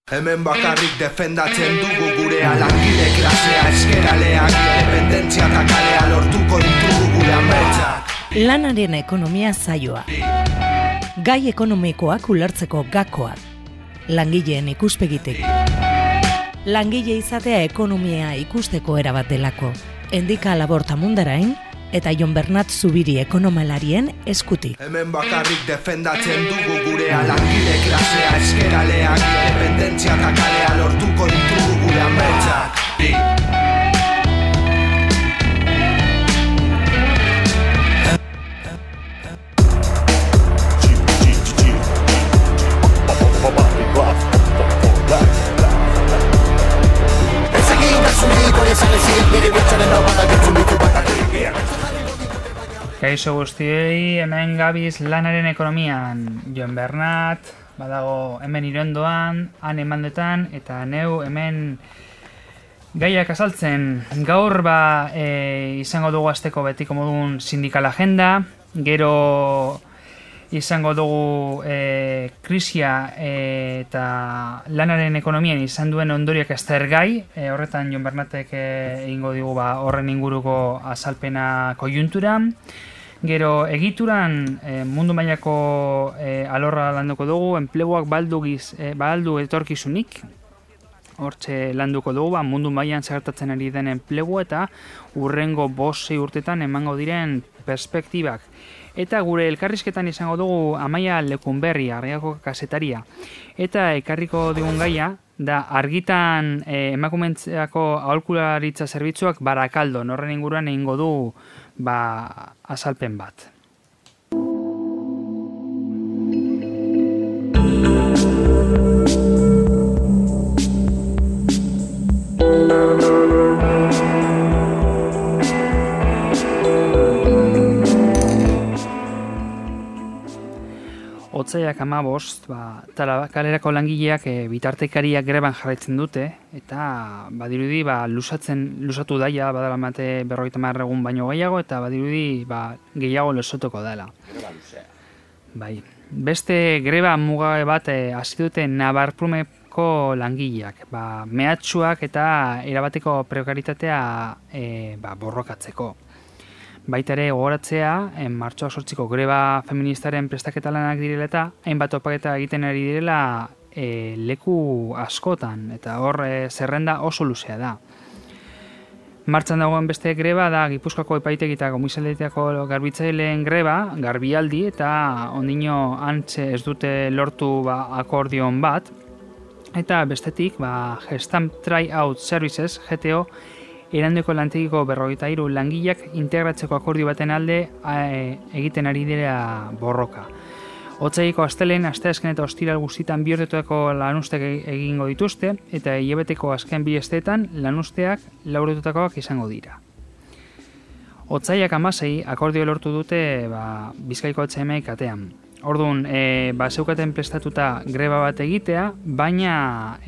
Hemen bakarrik defendatzen dugu gurea, langile klasea, eskeraleak, independentzia eta kalea lortuko ditugu gure ametsak. Lanaren ekonomia saioa. Gai ekonomikoak ulertzeko gakoak. Langileen ikuspegitik. Langile izatea ekonomia ikusteko erabat delako. Endika Laborta Mundarain eta Jon Bernat Zubiri ekonomalarien eskutik. Hemen bakarrik defendatzen dugu gurea, langile klasea, eskeraleak, independentzia eta kalea lortuko ditugu gure ametsak. Kaixo guztiei, hemen gabiz lanaren ekonomian. Jon Bernat, badago hemen Irondoan, han emandetan, eta neu hemen gaiak azaltzen. Gaur izango dugu asteko betiko modun sindikal agenda, gero izango dugu krisia eta lanaren ekonomian izan duen ondoriak aztergai, horretan Jon Bernatek egingo digu horren inguruko azalpena kojuntura. Gero egituran mundu mailako alorra landuko dugu, enpleguak baldu etorkizunik, hortxe landuko dugu, mundu mailan zertatzen ari den enplegu eta urrengo 5-6 urtetan emango diren perspektibak. Eta gure elkarrizketan izango dugu Amaia Lekunberri, Arriako kazetaria. Eta ekarriko digun gaia, da argitan emakumentzeako aholkularitza zerbitzuak Barakaldo, horren inguruan egingo du azalpen bat. Otsaiak 15, kalerako langileak bitartekariak greban jarraitzen dute, eta badirudi lusatu daia, badala mate 50 egun baino gehiago, eta badirudi gehiago lesotoko dela. Greba luzea. Bai. Beste greba mugabe bat hasi dute Nabarprumeko langileak, mehatxuak eta erabateko prekaritatea borrokatzeko. Baita ere gogoratzea, martxoak 8ko greba feministaren prestaketa lanak direla eta hainbat topaketa egiten ari direla leku askotan, eta hor zerrenda oso luzea da. Martxan dagoen beste greba da Gipuzkoako epaitegi eta komisaldeetako garbitzaileen greba, Garbialdi, eta ondino antxe ez dute lortu akordion bat, eta bestetik Gestamp Tryout Services, GTO, Erandioko lantegiko 53 langileak integratzeko akordio baten alde egiten ari dira borroka. Otsaileko astelen, asteazken eta ostiral guztietan bi urtetako lanuzteak egingo dituzte, eta hilabeteko azken 2 asteetan lanusteak 4 urtetakoak izango dira. Otsailak 16 akordio lortu dute Bizkaiko HMI katean. Orduan, zeukaten prestatuta greba bat egitea, baina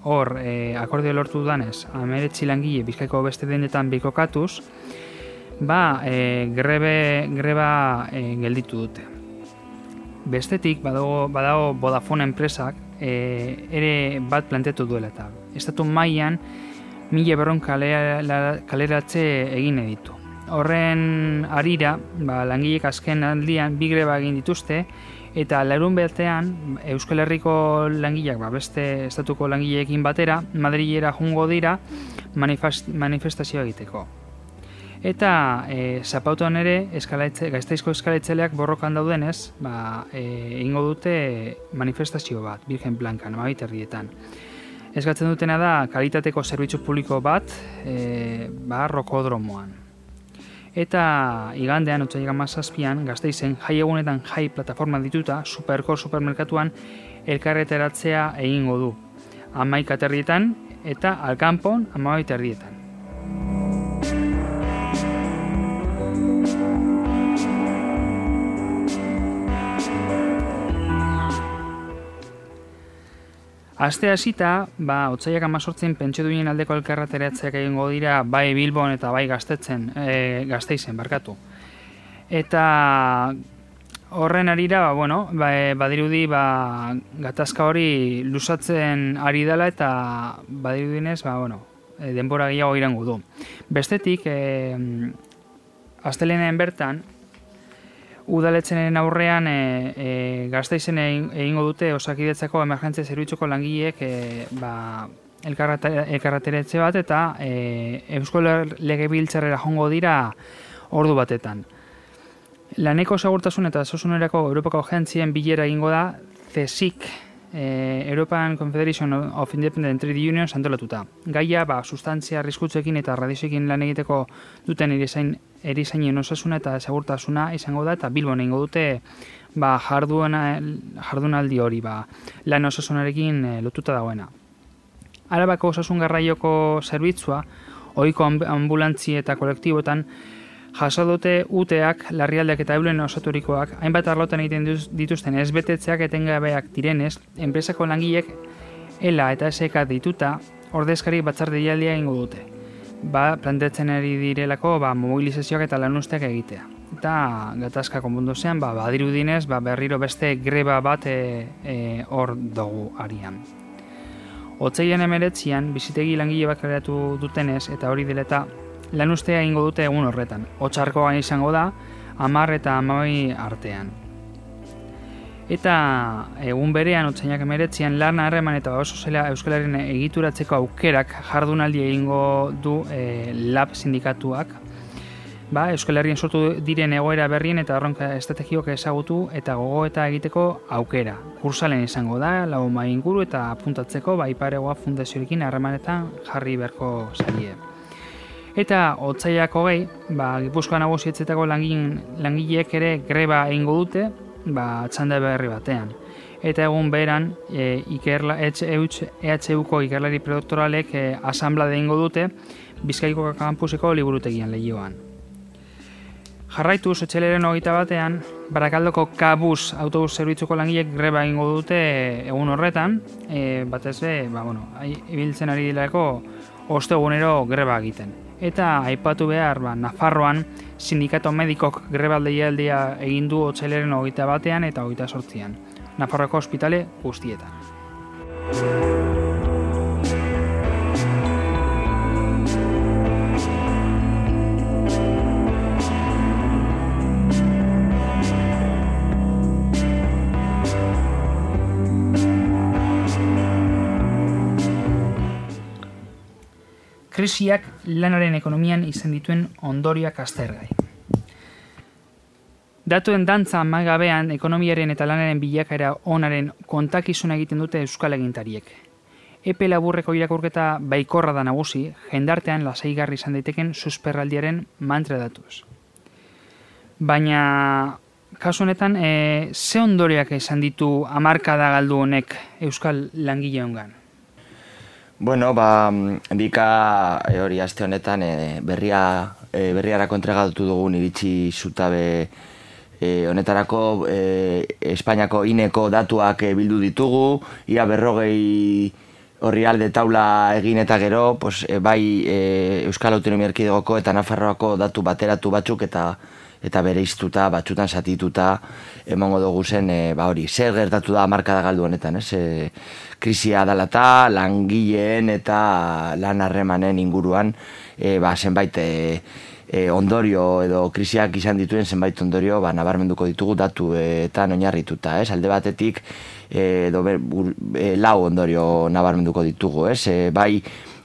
hor akordio lortu danez, 19 langile Bizkaiko beste dendetan bikokatuz, greba gelditu dute. Bestetik, badago Vodafone enpresak ere bat planteatu duela eta estatu mailan 1.200 kaleratze egin ditu. Horren arira, langilek azken aldian 2 greba egin dituzte, eta larun betean Euskal Herriko langileak beste estatuko langileekin batera Madrilera joango dira manifestazioa egiteko. Eta Zapautuan ere Gasteizko eskaletzeleak borrokan daudenez, egingo dute manifestazio bat, Virgen Blanca, Amabiterrietan. Eskatzen dutena da kalitateko zerbitzu publiko bat rokodromoan. Eta igandean, otsailak 17an, Gasteizen jai egunetan jai plataforma dituta, supermerkatuan elkarreteratzea egingo du. 11 eta Alkanpon 12. Aste hasita, otsailak 18 pentsio duinen aldeko elkarreteratzeak egingo dira bai Bilbon eta bai Gasteizen, Eta horren arira, badirudi gatazka hori luzatzen ari dela eta badirudinez, denbora gehiago irango du. Bestetik, astelehen bertan, udaletxenen aurrean Gasteizen egingo dute Osakidetzako emergentzia zerbitzuko langileek elkarreteretxe bat eta Eusko Legebiltzarrera joango dira ordu batetan. Laneko segurtasun eta osasunerako Europako agentzien bilera egingo da CSIC, European Confederation of Independent Trade Unions antolatuta. Gaia, sustantzia arriskutsuekin eta radioekin lan egiteko duten erizainen osasuna eta segurtasuna izango da, eta Bilbon egingo dute jardunaldi hori, lan osasunarekin lotuta dagoena. Arabako osasun garraioko zerbitzua, ohiko ambulantzi eta kolektiboetan, jaso dute UTEak, larrialdeak eta eulen osaturikoak, hainbat arlotan egiten dituzten ezbetetzeak etengabeak direnez, enpresako langilek ELA eta SK dituta, ordezkari batzar deialdia egingo dute. Planteatzen ari direlako mobilizazioak eta lanuzteak egitea. Eta gatazka konponduzean, badirudinez, berriro beste greba bat hor dugu arian. Otsailean 19 bizitegi langile bat kreatu dutenez, eta hori dela eta lanuztea egingo dute egun horretan. Otsarkoan izango da, 10 eta 12 artean. Eta egun berean, otsainak 19 lan harreman eta oso zela Euskal Herrian egituratzeko aukerak jardunaldi egingo du LAB sindikatuak. Euskal Herrian sortu diren egoera berrien eta erronka estrategioak ezagutu eta gogoeta egiteko aukera. Kursalen izango da, 4 mahai inguru eta apuntatzeko Iparegoa Fundazioarekin harremanetan jarri beharko zaie. Eta otsaiak 20, Gipuzkoa Nagusietzetako langileek ere greba egingo dute, txanda berri batean. Eta egun beran, EHUko ikerlari predoktoralek asanblade egingo dute, Bizkaiko kampuseko liburutegian Leioan. Jarraituz, otsailaren 21, Barakaldoko Kabuz autobus zerbitzuko langilek greba egingo dute egun horretan, batez ibiltzen ari dilako ostegunero greba egiten. Eta aipatu behar, Nafarroan sindikato medikok greba deialdia egin du otsailaren 21 eta 28. Nafarroako ospitale guztietan. Krisiak lanaren ekonomian izan dituen ondorioak aztergai. Datuen dantza amagabean ekonomiaren eta lanaren bilakaera onaren kontakizuna egiten dute euskal agintariek. Epe laburreko irakurketa baikorra da nagusi, jendartean lasaigarri izan daiteken susperraldiaren mantra datuz. Baina, kasu honetan, ze ondorioak izan ditu hamarkada galdu honek euskal langileongan? Dika hori aste honetan berriarako entregatu dugun iritsi zutabe honetarako Espainiako INEko datuak bildu ditugu, ia 40 orrialde taula egin eta gero, Euskal Autonomia Erkidegoko eta Nafarroako datu bateratu batzuk eta bereiztuta, batzutan zatituta emongo dugu zen, zer gertatu da hamarkada galdu honetan, krisia dalata, langileen eta lan harremanen inguruan, zenbait ondorio edo krisiak izan dituen zenbait ondorio nabarmenduko ditugu datuetan oinarrituta, alde batetik lau ondorio nabarmenduko ditugu,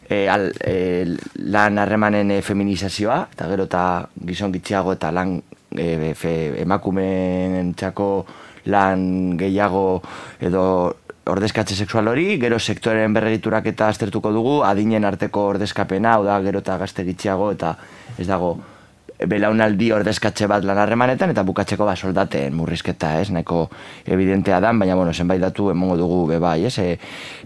lan harremanen feminizazioa, eta gero eta gizon gitxiago eta lan emakumeentzako lan gehiago edo ordezkatze sexual hori, gero sektoren berregiturak eta aztertuko dugu, adinen arteko ordezkapena, hau da gero eta gazte gitxiago eta ez dago belaunaldi ordezkatze bat lan harremanetan eta bukatzeko soldaten murrizketa, nahiko evidentea da, baina zenbait datu emongo dugu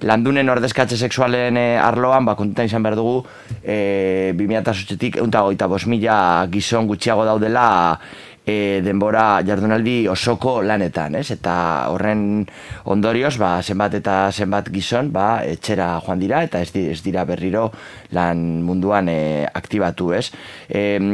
landunen ordezkatze sexualen arloan, kontutan izan behar dugu 2008tik 125.000 gizon gutxiago daudela denbora jardunaldi osoko lanetan, ez? Eta horren ondorioz, zenbat eta zenbat gizon, etxera joan dira, eta ez dira berriro lan munduan aktibatu, ez?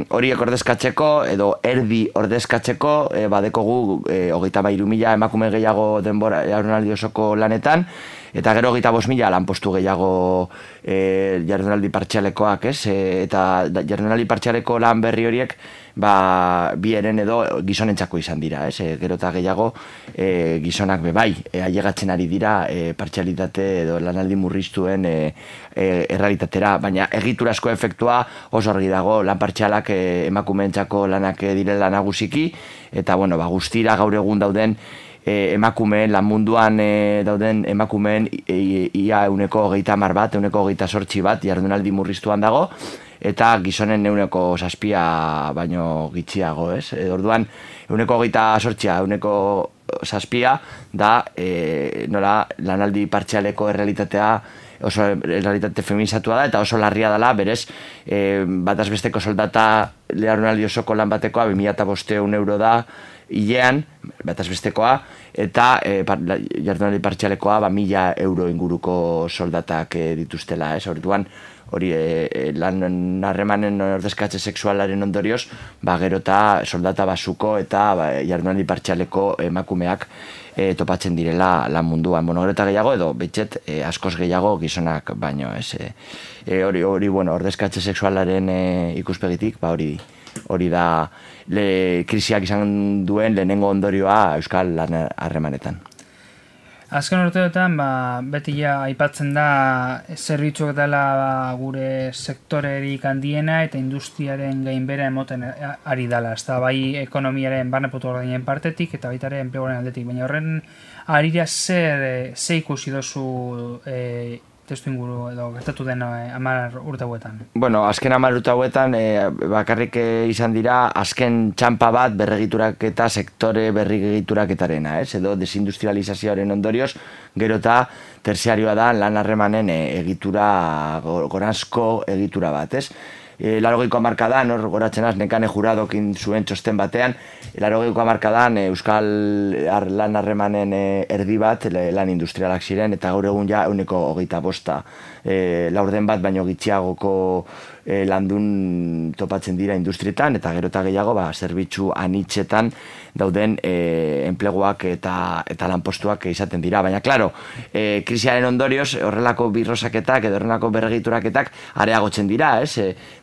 Horiek ordezkatzeko, edo erdi ordezkatzeko, badekogu 33.000 emakume gehiago denbora jardunaldi osoko lanetan, eta gero 25.000 lanpostu gehiago jardunaldi partzialekoak, ez? Eta jardunaldi partzialeko lan berri horiek bi eren edo gizonentzako izan dira, ez? Gero eta gehiago gizonak bai, ailegatzen ari dira partzialitate edo lanaldi murriztuen errealitatera, baina egiturazko efektua oso argi dago, lan partzialak emakumeentzako lanak direla nagusiki, eta guztira gaur egun dauden emakumeen, lan munduan dauden emakumeen ia 130 bat, 128 bat jardunaldi murriztuan dago, eta gizonen 7 baino gitxiago, ez? Orduan, 128, 7 da nola lanaldi partzialeko errealitatea oso errealitate feminizatua da, eta oso larria dela, berez, bataz besteko soldata jardunaldi osoko lan batekoa 2.500 euro da, hilean, bataz bestekoa, eta jardunaldi partzialekoa 1.000 euro inguruko soldatak dituztela, ez? Orduan, hori lan harremanen ordezkatze sexualaren ondorioz, gero eta soldata basuko eta jardunaldi partzialeko emakumeak topatzen direla lan munduan. Gero eta gehiago, edo betxet askoz gehiago gizonak baino, ez? Hori, ordezkatze sexualaren ikuspegitik, hori da krisiak izan duen lehenengo ondorioa euskal lan harremanetan. Azken urteetan, beti aipatzen da zerbitzuak dela gure sektorerik handiena eta industriaren gainbehera emoten ari dela. Ez da, bai ekonomiaren barneputu ordainen partetik eta baita ere enpleguaren aldetik. Baina horren arira ze ikusi dozu testu inguru edo gertatu den 10 urte hauetan? Azken 10 urte hauetan bakarrik izan dira azken txanpa bat berregituraketa sektore berregituraketarena, ez? Edo desindustrializazioaren ondorioz, gero eta terziarioa da lan harremanen egitura, goranzko egitura bat, ez? 80ko hamarkadan, hor goratzen az, Nekane Juradokin zuen txosten batean, 80ko hamarkadan euskal lan harremanen erdi bat lan industrialak ziren, eta gaur egun 125 laurden bat baino gitxiagoko landun topatzen dira industrietan, eta gero eta gehiago zerbitzu anitzetan dauden enpleguak eta lanpostuak izaten dira. Baina, klaro, krisiaren ondorioz horrelako birrosaketak edo horrelako berregituraketak areagotzen dira, ez?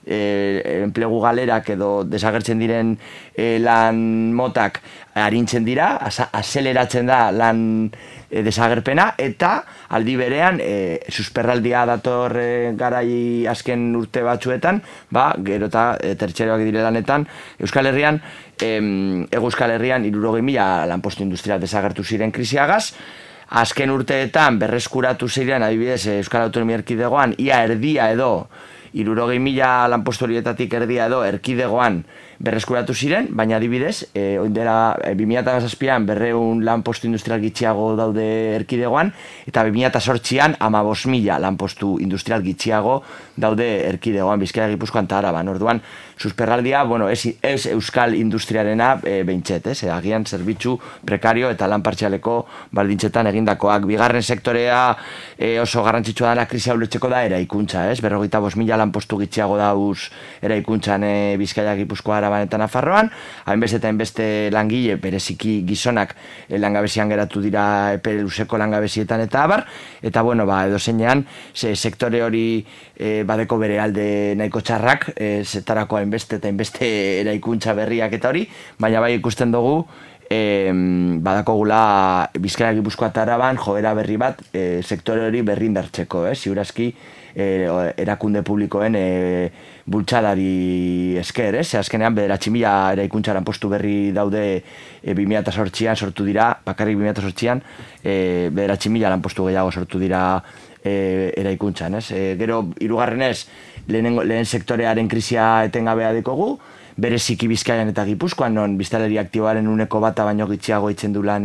Enplegu galerak edo desagertzen diren lan motak arintzen dira, azeleratzen da lan desagerpena, eta aldi berean susperraldia dator garai azken urte batzuetan, gero eta tertxeroak dire lanetan, Euskal Herrian, Euskal Herrian 60.000 lanpostu industrial desagertu ziren krisiagaz, azken urteetan berreskuratu ziren, adibidez, Euskal Autonomia Erkidegoan, ia erdia edo 60.000 lanpostu horietatik erdia edo erkidegoan berreskuratu ziren, baina adibidez, oindela 2007an 200 lanpostu industrial gitxiago daude erkidegoan, eta 2008an 15.000 lanpostu industrial gitxiago daude erkidegoan, Bizkaia, Gipuzkoan eta Araban. Orduan, susperraldia, ez euskal industriarena behintzet, agian zerbitzu prekario eta lan partzialeko baldintzetan egindakoak. Bigarren sektorea oso garrantzitsua dela krisia ulertzeko da eraikuntza, 55.000 lanpostu gitxiago dauz eraikuntzan Bizkaia, Gipuzkoa, Araban eta Nafarroan, hainbeste eta hainbeste langile, bereziki gizonak langabezian geratu dira epe luzeko langabezietan eta abar, eta edo zeinean, sektore hori badeko bere alde nahiko txarrak, zetarako hainbeste eta hainbeste eraikuntza berriak eta hori, baina bai ikusten dugu, badakogula Bizkaia, Gipuzkoa eta Araban joera berri bat sektore hori berri indartzeko, ziurazki erakunde publikoen bultzadari esker, azkenean 9.000 eraikuntza lanpostu berri daude 2008an sortu dira, bakarrik 2008an 9.000 lanpostu gehiago sortu dira eraikuntzan, Gero, hirugarrenez, lehen sektorearen krisia etengabea dekogu, bereziki Bizkaian eta Gipuzkoan, non biztanleri aktiboaren 1% baino gitxiago itzen du lan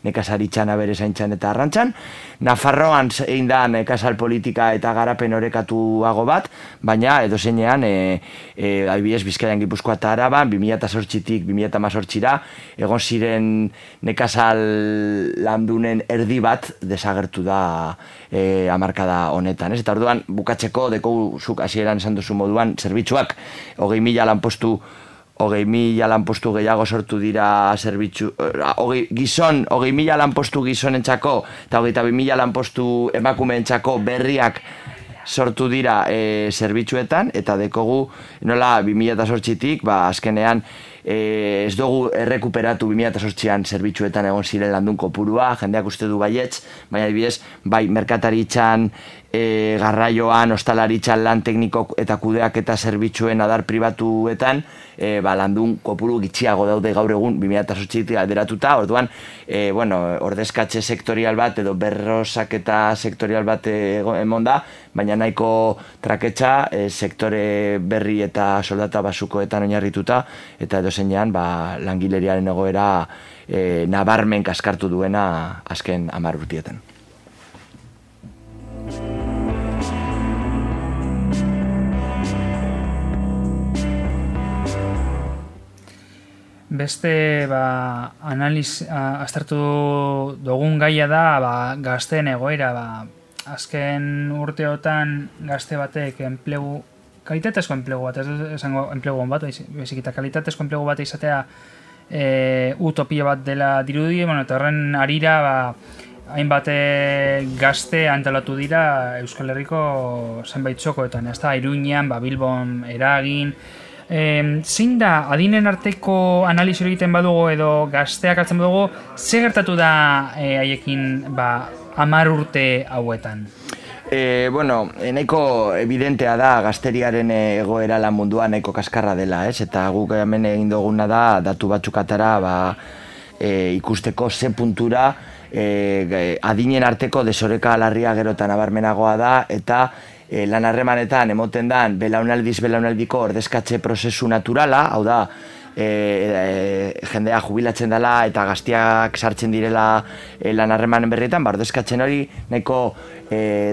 nekazaritzan, abere-zaintzan eta arrantzan. Nafarroan egin da nekazal politika eta garapen orekatuago bat, baina edozeinean adibidez Bizkaian, Gipuzkoa eta Araban 2008tik 2018ra egon ziren nekazal landunen erdi bat desagertu da hamarkada honetan. Eta orduan bukatzeko dekogu zuk hasieran esan duzu moduan zerbitzuak 20.000 lanpostu gehiago sortu dira zerbitzu, 20.000 lanpostu gizonentzako eta 22.000 lanpostu emakumeentzako berriak sortu dira zerbitzuetan, eta dekogu nola 2008tik, azkenean ez dugu errekuperatu 2008an zerbitzuetan egon ziren landun kopurua, jendeak uste du baietz, baina adibidez, bai merkataritzan, garraioan, ostalaritzan lan tekniko eta kudeak eta zerbitzuen adar pribatuetan, landun kopuru gitxiago daude gaur egun 2008tik alderatuta, orduan, ordezkatze sektorial bat edo berrosak eta sektorial bat emon da, baina nahiko traketxa sektore berri eta soldata basukoetan oinarrituta, eta edo zeinean langileriaren egoera nabarmen kaskartu duena azken 10 urtietan. Beste aztertu dugun gaia da gazteen egoera. Azken urteotan gazte batek kalitatezko enplegu bat, ez esango enplegu bat, bezik eta kalitatezko enplegu bat izatea utopia bat dela dirudi, eta horren harira hainbat gazte antolatu dira Euskal Herriko zenbait txokoetan, Iruñean, Bilbon, Eragin. Zein da, adinen arteko analiz egiten badugu edo gazteak hartzen badugu, ze gertatu da haiekin 10 urte hauetan? Nahiko evidentea da gazteriaren egoera lan mundua nahiko kaskarra dela, eta guk hemen egin duguna da datu batzuk atera ikusteko ze puntura adinen arteko desoreka larria gerotan abarmenagoa da, eta lan harremanetan emoten dan belaunaldiko ordezkatze prozesu naturala, hau da, jendea jubilatzen dela eta gaztiak sartzen direla lan harremanen berrietan, ordezkatzen hori nahiko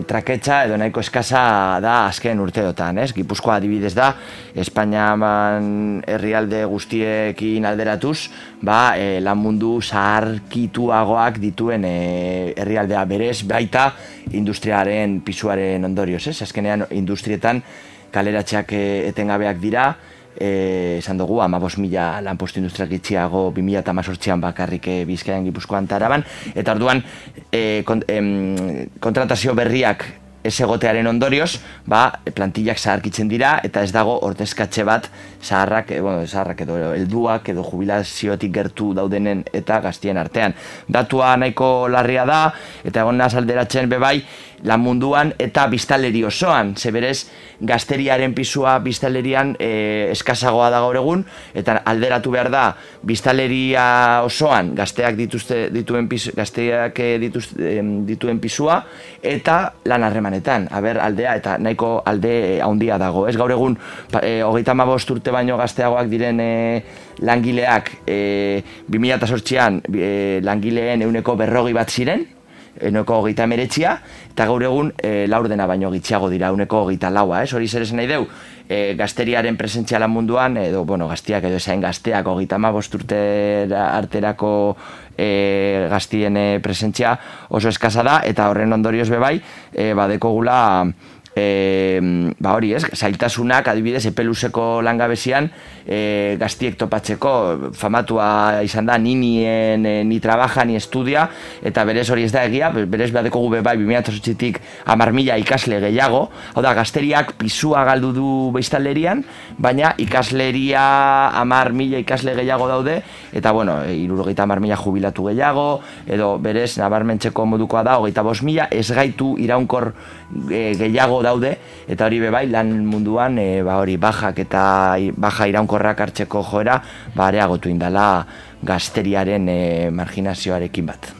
traketxa edo nahiko eskasa da azken urteotan, Gipuzkoa adibidez da, Espainian herrialde guztiekin alderatuz, lan mundu zaharkituagoak dituen herrialdea berez, baita industriaren pisuaren ondorioz, azkenean industrietan kaleratxeak etengabeak dira, esan dugu 15.000 lanpostu industrial gitxiago 2018an bakarrik Bizkaian, Gipuzkoan eta Araban, eta orduan kontratazio berriak ez egotearen ondorioz, plantillak zaharkitzen dira, eta ez dago ordezkatze bat zaharrak edo helduak edo jubilaziotik gertu daudenen eta gaztien artean. Datua nahiko larria da, eta egon naz alderatzen bebai, lan munduan eta biztanleri osoan, zeberez gazteriaren pisua biztanlerian eskasagoa da gaur egun, eta alderatu behar da biztanleria osoan gazteak dituen pisua eta lan harremanetan, aldea eta nahiko alde handia dago. Ez gaur egun 35 urte baino gazteagoak diren langileak 2008an langileen 40% bat ziren, 29, eta gaur egun laurdena baino gitxiago dira 24. Hori zer esan nahi deu, gazteriaren presentzia lan munduan, edo gaztiak edo esain gazteak 35 urte arterako gaztien presentzia oso eskasa da, eta horren ondorioz bebai, badekogula zailtasunak adibidez epeluzeko langabezian gaztiek topatzeko famatua izan da ni trabaja, ni estudia, eta berez hori ez da egia, berez badekogu bebai 2008tik 10.000 ikasle gehiago, hau da gazteriak pisua galdu du biztanlerian, baina ikasleria 10.000 ikasle gehiago daude, eta 70.000 jubilatu gehiago, edo berez nabarmentzeko modukoa da 25.000 ez gaitu iraunkor gehiago daude, eta hori bebai lan munduan bajak eta baja iraunkorrak hartzeko joera areagotu indala gazteriaren marginazioarekin bat.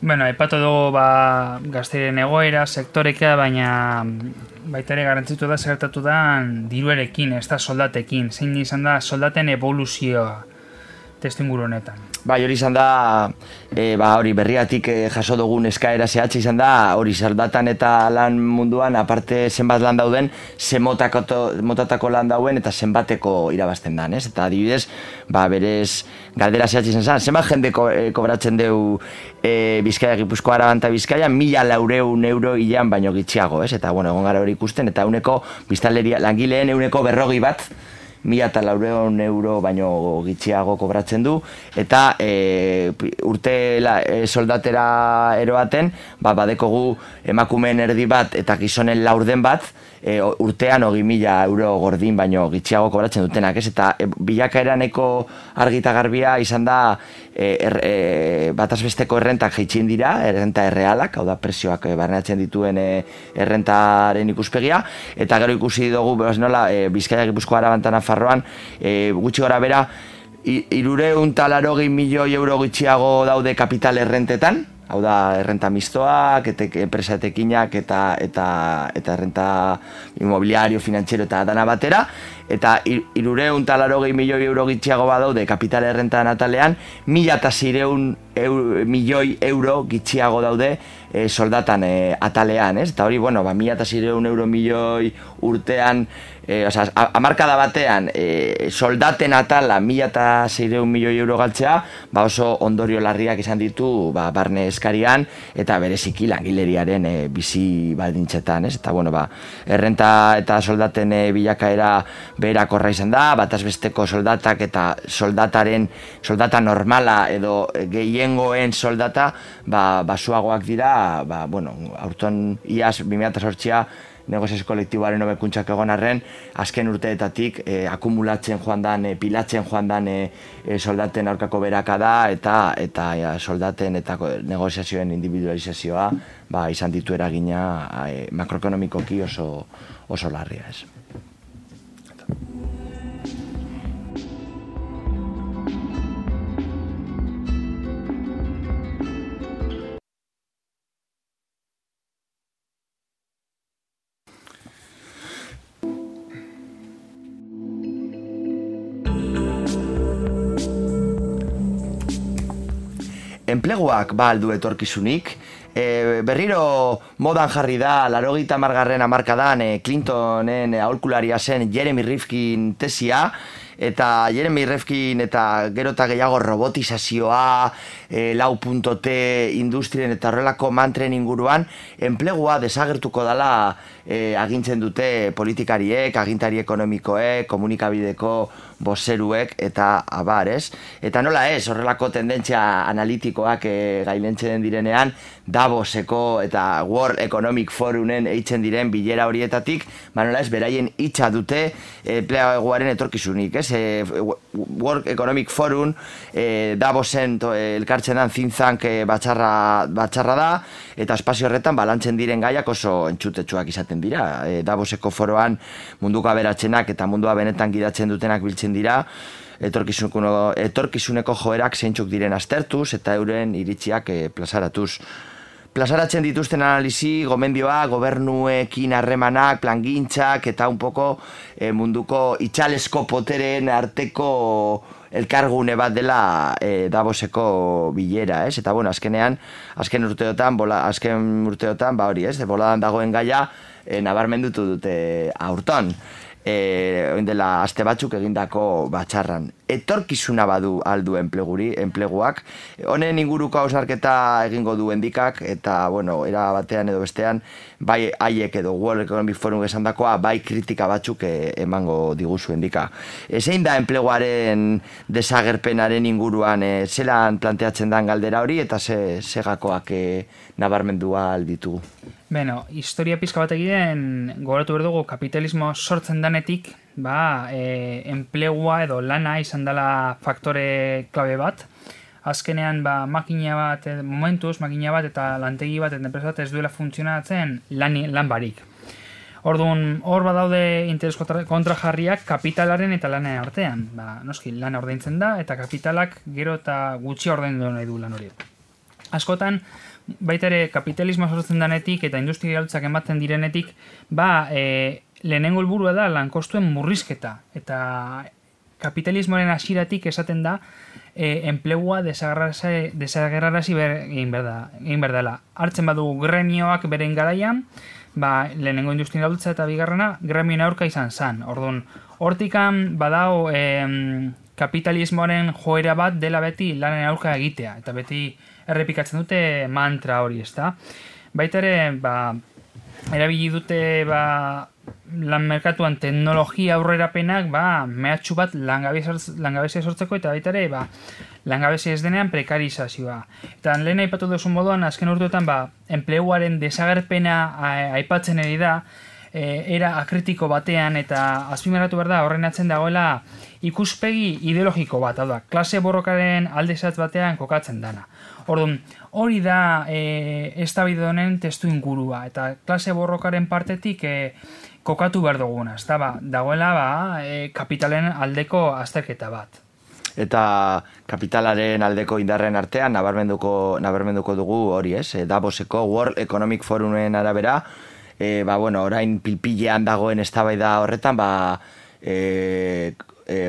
Bueno, aipatu dugu gazteren egoera, sektoreka, baina baita ere garrantzitu da zertatu da diruarekin, ez da soldatekin. Zein izan da soldaten evoluzioa testuinguru honetan? Bai, hori izan da, hori berriatik jaso dugun eskaera zehatza izan da, hori soldatan eta lan munduan, aparte zenbat lan dauden, motatako lan dauen eta zenbateko irabazten dan, ez? Eta adibidez, berez galdera zehatza izan zen, zenbat jende kobratzen deu Bizkaia, Gipuzkoa, Araban eta Bizkaia, 1.400 euro hilean baino gitxiago, ez? Eta, bueno, egon gara hori ikusten, eta biztanleria langileen 40 bat, 1.400 euro baino gitxiago kobratzen du, eta urte soldatera eroaten, badekogu emakumeen erdi bat eta gizonen laurden bat, urtean 20.000 euro gordin baino gitxiago kobratzen dutenak, ez? Eta bilakaeraneko argita garbia izan da batazbesteko errentak jaitxin dira, errenta errealak, hau da presioak barneatzen dituen errentaren ikuspegia, eta gero ikusi dugu nola Bizkaia, Gipuzkoa, Araban eta Nafarroan gutxi gora bera 380 milioi euro gitxiago daude kapital errentetan, hau da errenta mistoak, enpresa etekinak eta errenta inmobiliario, finantziero eta dana batera, eta 380 milioi euro gitxiago badaude kapital errenta natalean, 1.600 milioi euro gitxiago daude soldatan atalean, ez? Eta hori, 1.600 euro milioi urtean, hamarkada batean soldaten atala 1.600 milioi euro galtzea, oso ondorio larriak izan ditu barne eskarian eta bereziki langileriaren bizi baldintzetan, ez? Eta errenta eta soldaten bilakaera beherakorra izan da, batazbesteko soldatak eta soldata normala edo gehiengoen soldata basuagoak dira, aurton iaz 2008a negoziazio kolektiboaren hobekuntzak egon arren, azken urteetatik akumulatzen joan dan, pilatzen joan dan soldaten aurkako beraka da, eta soldaten eta negoziazioen individualizazioa izan ditu eragina makroekonomikoki oso larria, ez. Enpleguak aldu etorkizunik, berriro modan jarri da 80. hamarkadan Clintonen aholkularia zen Jeremy Rifkin tesia, eta Jeremy Rifkin eta gero eta gehiago robotizazioa, 4.T industrien eta horrelako mantren inguruan, enplegua desagertuko dela agintzen dute politikariek, agintari ekonomikoek, komunikabideko bozeruek eta abar, ez? Eta nola ez, horrelako tendentzia analitikoak gailentzen direnean, Davoseko eta World Economic Forumen eitzen diren bilera horietatik, nola ez, beraien hitza dute enpleguaren etorkizunik, ez? World Economic Forum Davosen elkartzen dan think tank batxarra da, eta espazio horretan balantzen diren gaiak oso entzutetsuak izaten dira. Davoseko foroan munduko aberatzenak eta mundua benetan gidatzen dutenak biltzen dira, etorkizuneko joerak zeintzuk diren aztertuz eta euren iritziak plazaratuz. Plazaratzen dituzten analizi, gomendioa, gobernuekin harremanak, plangintzak eta un poco munduko itxalesko poteren arteko elkargune bat dela Davoseko bilera, ez? Eta azken urteotan, hori, ez? Boladan dagoen gaia nabarmendutu dute aurton. Dela aste batzuk egindako batxarran. Etorkizuna badu aldu enpleguak. Honen inguruko hausnarketa egingo du endikak, eta, era batean edo bestean, bai haiek edo World Economic Forum esandakoa, bai kritika batzuk emango diguzu endika. Zein da enpleguaren desagerpenaren inguruan, zelan planteatzen dan galdera hori, eta segakoak nabarmendua alditugu? Historia pizka bat egiten gogoratu behar dugu kapitalismo sortzen danetik, enplegua edo lana izan dela faktore klabe bat. Azkenean makina bat eta lantegi bat eta enpresa bat ez duela funtzionatzen lan barik. Orduan, hor badaude interes kontrajarriak kapitalaren eta lanaren artean. Noski, lana ordaintzen da eta kapitalak gero eta gutxi ordaindu nahi du lan hori. Askotan, baita ere kapitalismoa sortzen denetik eta industrialtzak ematen direnetik, lehenengo helburua da lankostuen murrizketa. Eta kapitalismoaren hasieratik esaten da enplegua desagerrarazi egin behar dela. Hartzen badugu gremioak beren garaian, lehenengo industrialtza eta bigarrena gremioen aurka izan zen. Orduan, hortikan badao kapitalismoaren joera bat dela beti lanen aurka egitea, eta beti errepikatzen dute mantra hori, ezta? Baita ere, erabili dute lan merkatuan teknologia aurrerapenak mehatxu bat langabezia sortzeko, eta baita ere langabezia ez denean prekarizazioa. Eta lehen aipatu duzun moduan, azken urteetan enpleguaren desagerpena aipatzen ari da, era akritiko batean, eta azpimarratu behar da horren atzen dagoela ikuspegi ideologiko bat, hau da, klase borrokaren aldezatz batean kokatzen dana. Orduan, hori da eztabaida honen testu ingurua, eta klase borrokaren partetik kokatu behar duguna, dagoela kapitalen aldeko azterketa bat. Eta kapitalaren aldeko indarren artean nabarmenduko dugu hori, Davoseko World Economic Forumen arabera, orain pilpilean dagoen eztabaida horretan,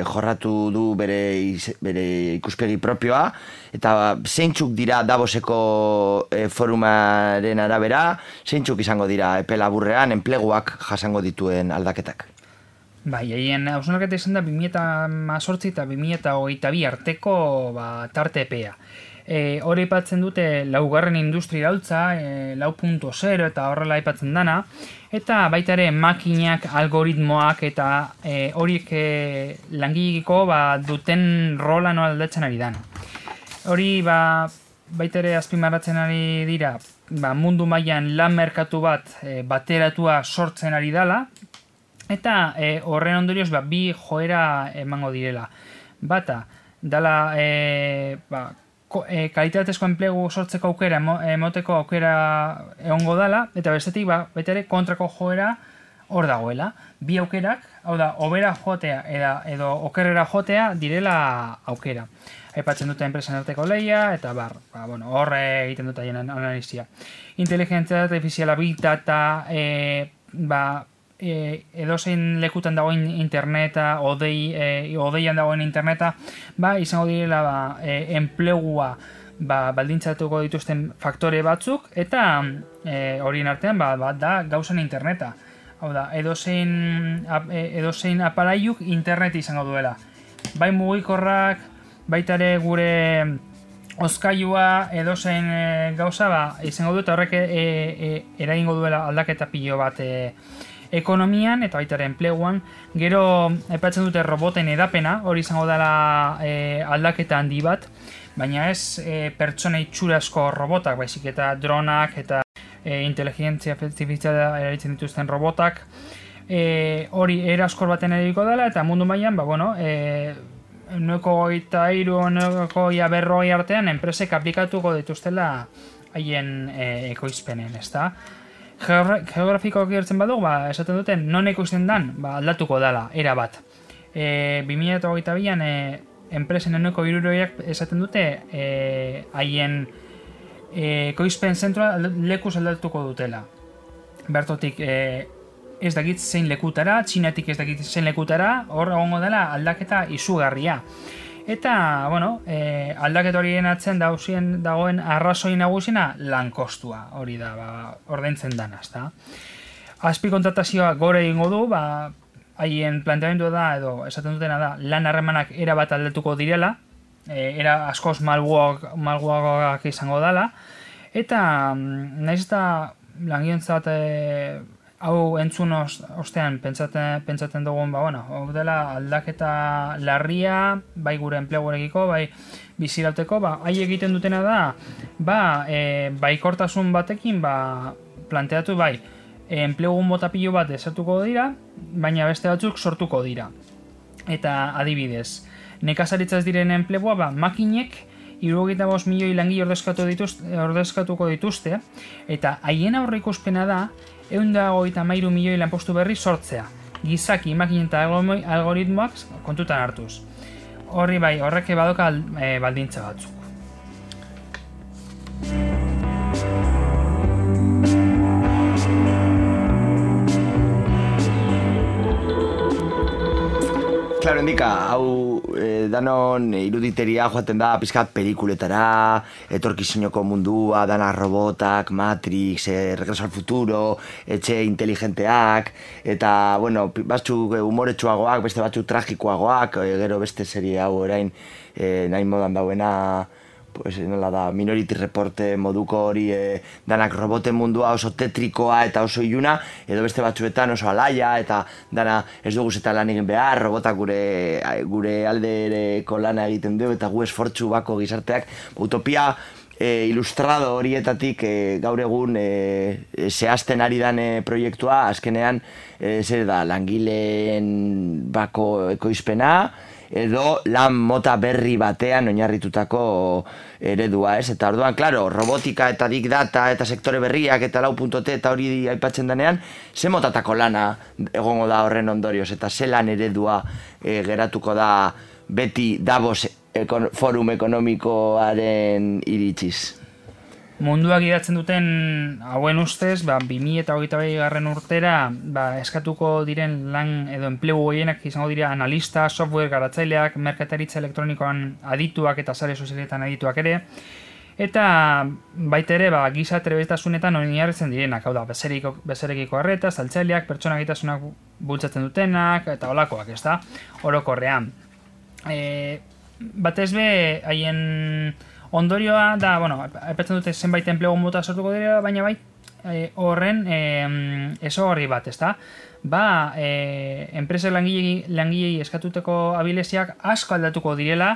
jorratu du bere ikuspegi propioa, eta zeintzuk dira Davoseko forumaren arabera, zeintzuk izango dira epe laburrean enpleguak jasango dituen aldaketak. Haien hausnarketa izan da 2018 eta 2022 arteko tarte epea. Hori aipatzen dute laugarren industrialtza, 4.0 eta horrela aipatzen dana, eta baita ere makinak, algoritmoak eta horiek langileekiko duten rola nola aldatzen ari dana. Hori baita ere azpimarratzen ari dira, mundu mailan lan merkatu bat bateratua sortzen ari dela, eta horren ondorioz bi joera emango direla. Bata, dala kalitatezko enplegu sortzeko aukera, emoteko aukera egongo dela, eta bestetik baita ere kontrako joera hor dagoela. Bi aukerak, hau da, hobera jotea edo okerrera jotea direla aukera. Aipatzen dute enpresen arteko lehia, eta hor egiten dute haien analizia. Inteligentzia artifiziala, big data, edozein lekutan dagoen interneta, odeian dagoen interneta, izango direla enplegua baldintzatuko dituzten faktore batzuk, eta horien artean da gauzan interneta. Hau da, edozein aparailuk internet izango duela. Bai mugikorrak, baita ere gure hozkailua edozein gauza izango du, eta horrek eragingo duela aldaketa pilo bat ekonomian eta baita ere enpleguan. Gero aipatzen dute roboten edapena, hori izango dela aldaketa handi bat, baina ez pertsona itxurazko robotak, baizik eta dronak eta inteligentzia artifiziala erabiltzen dituzten robotak, hori eraskor baten erabiko dela, eta mundu mailan, Euneko 40 artean enpresek aplikatuko dituztela haien ekoizpenen, ezta? Geografikoak gertzen badugu, esaten duten, non ekoizten dan, aldatuko dela, era bat. 2022an enpresen euneko 60 esaten dute haien ekoizpen zentroa lekuz aldatuko dutela. Bertotik ez dakit zein lekutara, Txinatik ez dakit zein lekutara, hor egongo dela aldaketa izugarria. Eta, aldaketa horien atzen dagoen arrazoi nagusiena lankostua, hori da, ordaintzen dana, ezta. Azpi kontratazioa gore egingo du, haien planteamendua da, edo esaten dutena da, lan harremanak era bat aldatuko direla, era askoz malguagoak izango dela, eta nahiz eta langileentzat hau entzun ostean pentsatzen dugun, hau dela aldaketa larria, bai gure enpleguarekiko, bai bizirauteko, hai egiten dutena da, baikortasun batekin, planteatu enplegu mota pilo bat desatuko dira, baina beste batzuk sortuko dira. Eta adibidez, nekazaritza ez diren enplegua, makinek 75 milioi langile ordezkatuko dituzte, eta haien aurreikuspena da 133 milioi lanpostu berri sortzea, gizaki, makinen eta algoritmoak kontutan hartuz. Horrek badoka baldintza batzuk. klaro, endika, hau danon iruditeria joaten da pizkat pelikuletara, etorkizuneko mundua, dana robotak, Matrix, Regreso al Futuro, etxe inteligenteak, eta, bueno, batzuk humoretsuagoak, beste batzuk tragikoagoak, gero beste serie hau orain nahi modan dauena, pues, nola da, Minority Report moduko hori danak roboten mundua oso tetrikoa eta oso iluna, edo beste batzuetan oso alaia eta dana ez dugu zeta lan egin behar, robotak gure aldereko lana egiten du eta gu esfortzu bako gizarteak, utopia ilustrado horietatik gaur egun zehazten ari dan proiektua, azkenean zer da, langileen bako ekoizpena, edo lan mota berri batean oinarritutako eredua, ez? Eta orduan, klaro, robotika eta big data eta sektore berriak eta lau.t eta hori aipatzen denean, ze motatako lana egongo da horren ondorioz, eta ze lan eredua geratuko da beti Davos forum ekonomikoaren iritsiz. Munduak idatzen duten hauen ustez, 2022 urtera eskatuko diren lan edo enplegu gehienak izango dira analista, software garatzaileak, merkataritza elektronikoan adituak eta sare sozialetan adituak ere, eta baita ere giza trebetasunetan oinarritzen direnak, hau da, bezerekiko arreta, saltzaileak, pertsona gaitasunak bultzatzen dutenak, eta holakoak, ez da, orokorrean. Batez be, haien ondorioa da, bueno, aipatzen dute zenbait enplegu mota sortuko dira, baina horren ezaugarri bat, ezta? Enpresa langilei eskatuteko abilesiak asko aldatuko direla,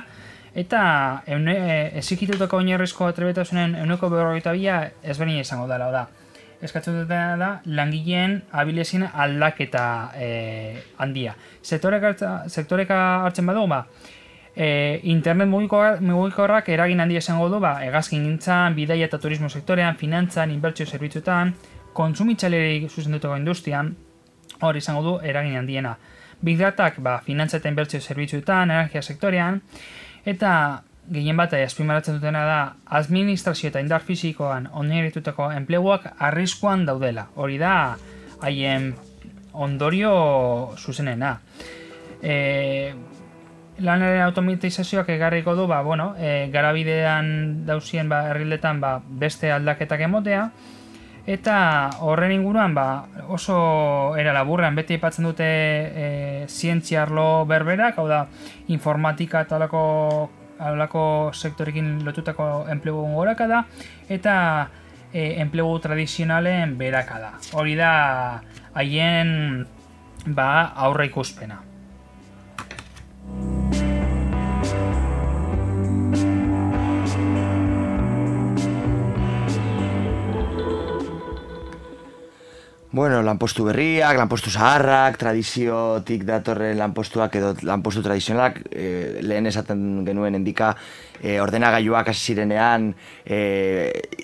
eta ezikitutako oinarrizko trebetasunen 42% ezberdina izango dela, da. Eskatzen dutena da langileen abilesien aldaketa handia. Sektoreka hartzen badugu, internet mugikorrak eragin handia izango du, hegazkingintzan, bidaia eta turismo sektorean, finantzan, inbertsio zerbitzuetan, kontsumitzaileei zuzendutako industrian, hor izango du eragin handiena. Big Datak, finantza eta inbertsio zerbitzuetan, energia sektorean, eta gehien bat azpimarratzen dutena da, administrazio eta indar fisikoan oinarritutako enpleguak arriskuan daudela. Hori da, haien ondorio zuzenena. Lanaren automatizazioak egarriko du, garabidean dauzien herrildetan beste aldaketak emotea, eta horren inguruan oso era laburrean beti aipatzen dute zientzia arlo berberak, hau da, informatika eta halako sektorekin lotutako enplegu gorakada, eta enplegu tradizionalen berakada. Hori da haien aurre ikuspena. Bueno, lanpostu berriak, lanpostu zaharrak, tradiziotik datorren lanpostuak edo lanpostu tradizionalak, lehen esaten genuen endika, ordenagailuak hasi zirenean,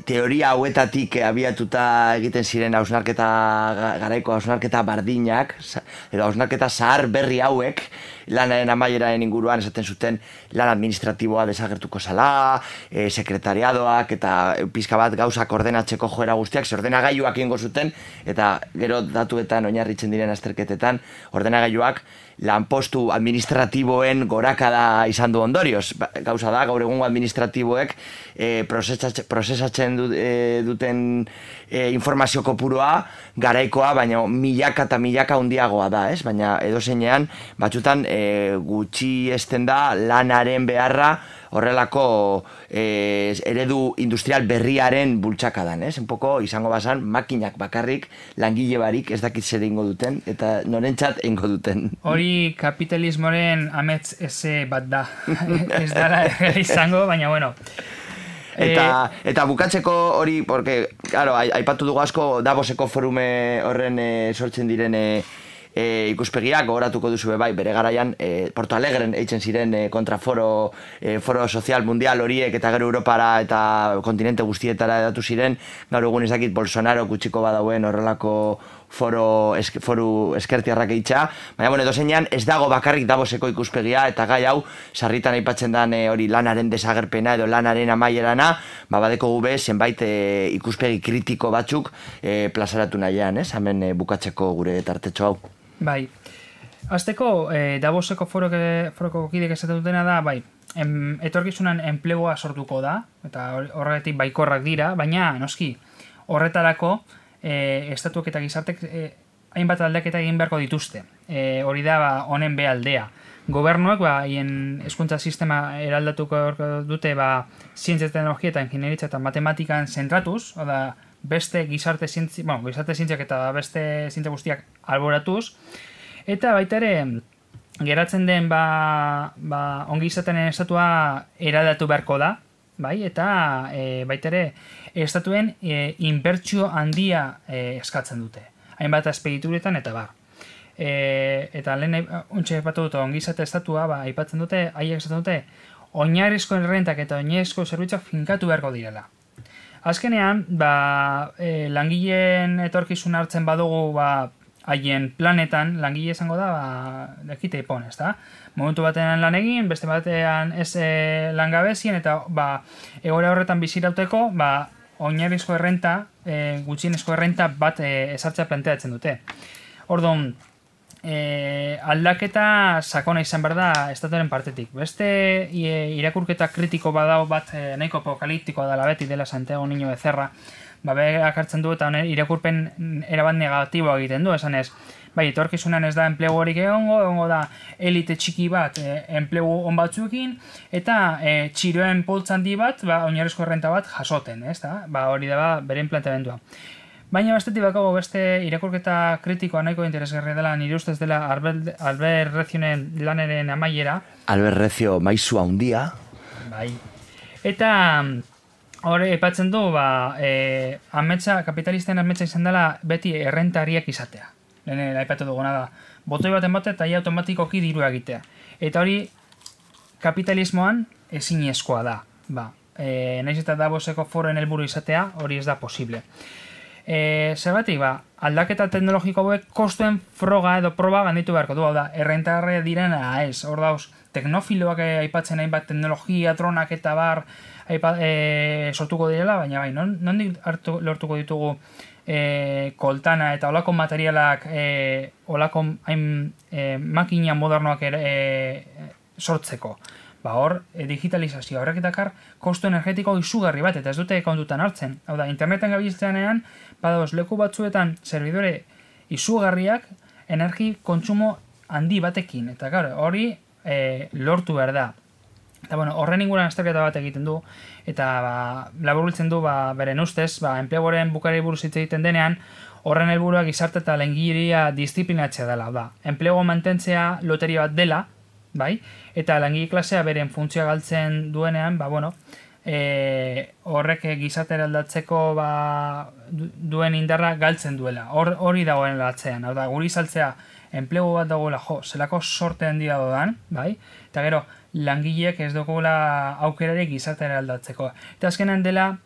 teoria hauetatik abiatuta egiten ziren garaiko hausnarketa bardinak, edo hausnarketa zahar berri hauek, lanaren amaieraen inguruan esaten zuten lan administratiboa desagertuko zala, sekretariadoak eta pizka bat gauzak ordenatzeko joera guztiak, ordenagailuak egingo zuten, eta gero datuetan oinarritzen diren azterketetan, ordenagailuak lanpostu administratiboen gorakada izan du ondorioz. Gauza da, gaur egungo administratiboek prozesatzen duten informazio kopurua garaikoa, baina milaka eta milaka handiagoa da, ez? Baina edozeinean, batzutan gutxi esten da lanaren beharra horrelako eredu industrial berriaren bultzakadan, ez? Un poco izango bazan makinak bakarrik langile barik ez dakit zer egingo duten eta norentzat egingo duten. Hori kapitalismoren amets eze bat da. Ez dara izango, baina bueno. Eta bukatzeko hori, porque, claro, aipatu dugu asko Davoseko forume horren sortzen diren ikuspegiak, gogoratuko duzu bere garaian Porto Alegren eitzen ziren kontraforo foro sozial mundial horiek eta gero Europara eta kontinente guztietara edatu ziren, gaur egun ez dakit Bolsonaro kutsiko badauen horrelako foru eskertiarrak eitxa, baina bueno, edozeinean ez dago bakarrik Davoseko ikuspegia eta gai hau sarritan aipatzen den hori lanaren desagerpena edo lanaren amaierana, badeko gube zenbait ikuspegi kritiko batzuk plazaratu nahian, ez? Hemen bukatzeko gure tartetxo hau. Bai. Azteko, Davoseko foroko kidek esaten dutena da, bai, etorkizunan enplegua sortuko da, eta horregatik baikorrak dira, baina, noski, horretarako, estatuak eta gizartek hainbat aldaketa egin beharko dituzte. Hori da, honen bealdea. Gobernuak, haien hezkuntza sistema eraldatuko dute, zientzia, teknologia eta ingineritza eta matematikan zentratuz, oda, beste gizarte zientziak eta beste zientzia guztiak alboratuz, eta baita ere, geratzen den ongi izaten estatua eraldatu beharko da, bai, eta baita ere, estatuen inbertsio handia eskatzen dute. Hainbat azpegituretan eta bar. Eta lehen untxe epatu dut ongi izate estatua, aipatzen dute, haiek esaten dute, oinarrizko errentak eta oinarrizko zerbitzuak finkatu beharko direla. Azkenean, langileen etorkizun hartzen badugu, haien planetan, langile izango da, dekite ipon, ez da? Momentu batean lan egin, beste batean ez langabezien, eta egoera horretan bizirauteko, oinarrizko errenta, gutxienezko errenta bat ezartzea planteatzen dute. Orduan, aldaketa sakona izan behar da estatuaren partetik. Beste irakurketa kritiko badao bat nahiko apokaliptikoa dela beti dela Santiago Niño Becerra, berak hartzen du eta irakurpen erabat negatiboa egiten du, esan ez, bai, etorkizunan ez da enplegu horik egongo da elite txiki bat enplegu on batzuekin, eta txiroen poltza handi bat, oinarrizko errenta bat jasoten, ez da? Hori da beren planteamendua. Baina bestetik bakago beste irakurketa kritikoa nahiko interesgarria dela, nire ustez dela Albert Rezionen laneren amaiera. Albert Rezio maizu handia. Bai. Eta hori epatzen du, kapitalisten ametsa izan dela beti errentariak izatea. Lehen aipatu duguna da. Botoi baten bate eta automatikoki dirua egitea. Eta hori kapitalismoan ezinezkoa da. Naiz eta Davoseko foroen helburu izatea, hori ez da posible. Zergatik, aldaketa teknologiko hauek kostuen froga edo proba ganditu beharko du, hau da, errentarre direna ez, hor dauz, teknofiloak aipatzen hainbat teknologia, dronak eta bar sortuko direla, baina nondik lortuko ditugu koltana eta olako materialak, olako makina modernoak sortzeko. Hor, digitalizazio horrek dakar kostu energetiko izugarri bat, eta ez dute kontutan hartzen. Hau da, interneten gabiltzeanean, badauz, leku batzuetan servidore izugarriak energi kontsumo handi batekin. Eta hori lortu behar da. Eta horren inguruan azterketa bat egiten du, eta laburbiltzen du beren ustez, enpleguaren bukari buruz hitz egiten denean, horren helburua gizarte eta langileria disiplinatzea dela. Enplegu mantentzea loteria bat dela, bai, eta langile klasea beren funtzioa galtzen duenean, horrek gizartera aldatzeko duen indarra galtzen duela. Hori dagoen latzean, hau da, guri saltzea enplegu bat dagoela, zelako sorte handia dodan, bai, eta gero, langileek ez dugula aukerari gizartera aldatzeko. Eta azkenan dela,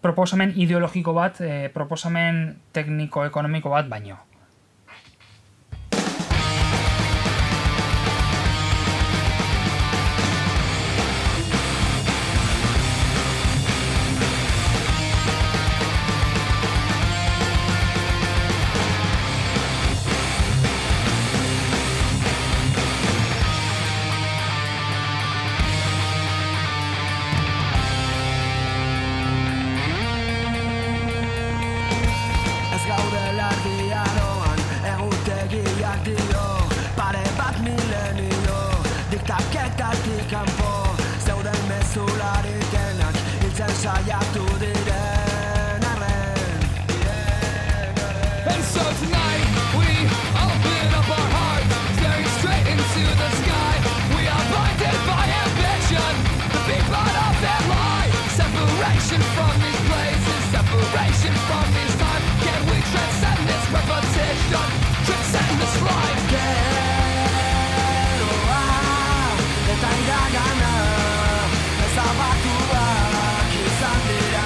proposamen ideologiko bat, proposamen tekniko-ekonomiko bat baino. Eta iragana ezabatuak izan dira.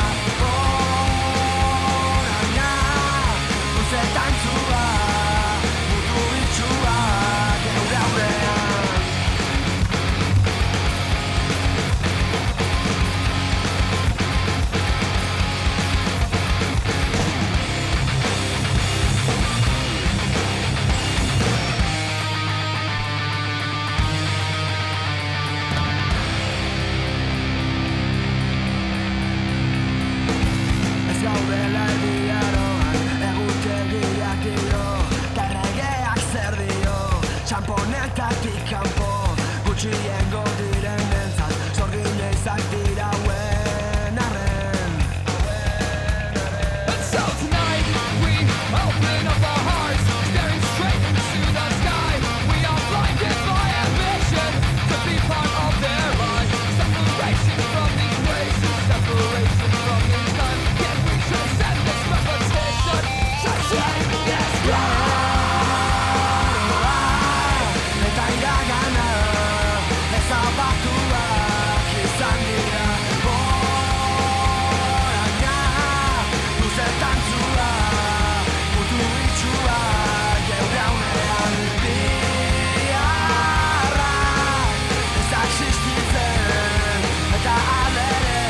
izak dira hauen arren. And so tonight we open up our hearts, staring straight into the sky. We are blinded by ambition to be part of their life. Separation from these races, separation from this time. Can we transcend this repetition? Transcend this Eta iragana ezabatuak izan dira oraina luzetan zua mutu itxua geure haunean biharra ez da existitzen eta alere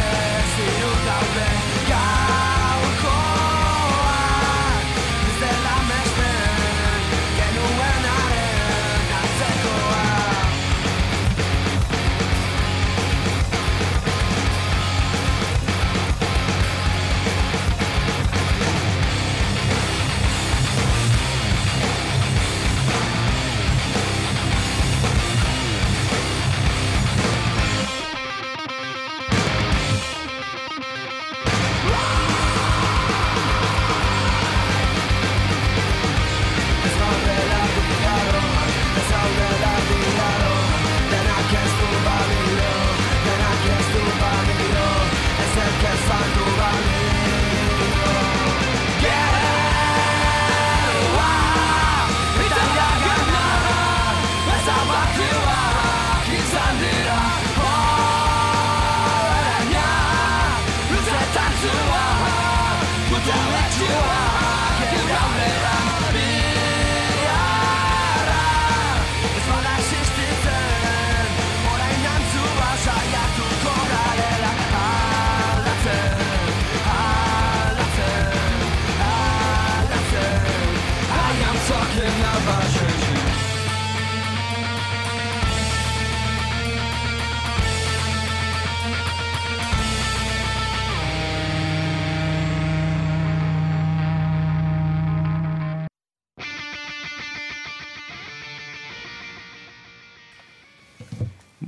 ziur daude gaurkoak ez dela mesten genuenaren antzekoa.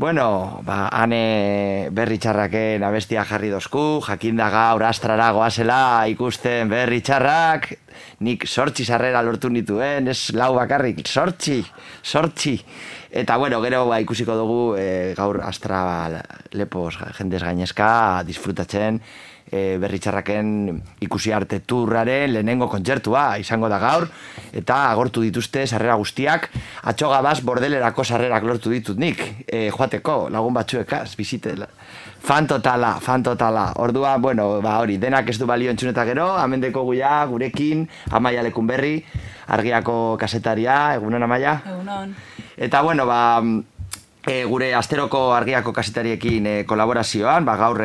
Bueno, hane berri txarraken abestia jarri dozku, jakinda gaur astrara goazela ikusten berri txarrak, nik 8 sarrera lortu nituen, ez lau bakarrik, 8. Eta bueno, gero ikusiko dugu gaur astra lepoz jendez gainezka disfrutatzen berri txarraken ikusi arte turraren lehenengo kontzertua izango da gaur, eta agortu dituzte sarrera guztiak, atxogabaz bordelerako sarrerak lortu ditut nik, joateko lagun batzuekaz, bizite, fan totala. Ordua, bueno, hori, denak ez du balio entzuneta gero, amendeko guia, gurekin, Amaia Lekunberri, Argiako kasetaria, egunon Amaia? Egunon. Eta bueno, gure asteroko Argiako kasetariekin kolaborazioan, gaur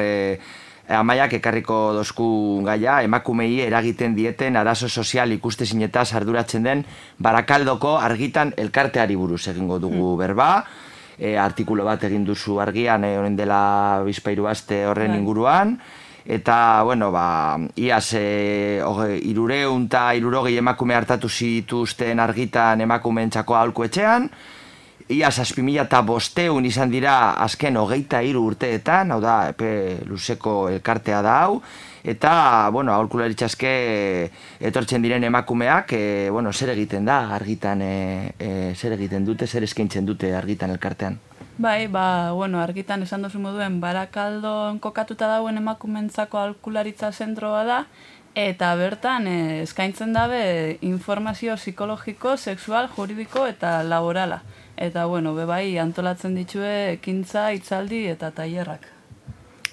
Amaiak ekarriko dozku gaia, emakumei eragiten dieten arazo sozial ikustezinetaz arduratzen den Barakaldoko Argitan elkarteari buruz egingo dugu berba. Artikulo bat egin duzu Argian, honen dela bizpairu aste horren inguruan. Eta, bueno, iaz 360 emakume hartatu zituzten Argitan emakumeentzako aholku etxean. Ia 7.500 izan dira azken 23 urteetan, hau da, epe luzeko elkartea da hau, eta, bueno, aholkularitzaske etortzen diren emakumeak, bueno, zer egiten da Argitan, zer egiten dute, zer eskaintzen dute Argitan elkartean? Bai, bueno, Argitan esan dozu moduen Barakaldon kokatuta dauen emakumeentzako aholkularitza zentroa da, eta bertan eskaintzen dabe informazio psikologiko, sexual, juridiko eta laborala. Eta, bueno, bebai antolatzen ditue ekintza, hitzaldi eta tailerrak.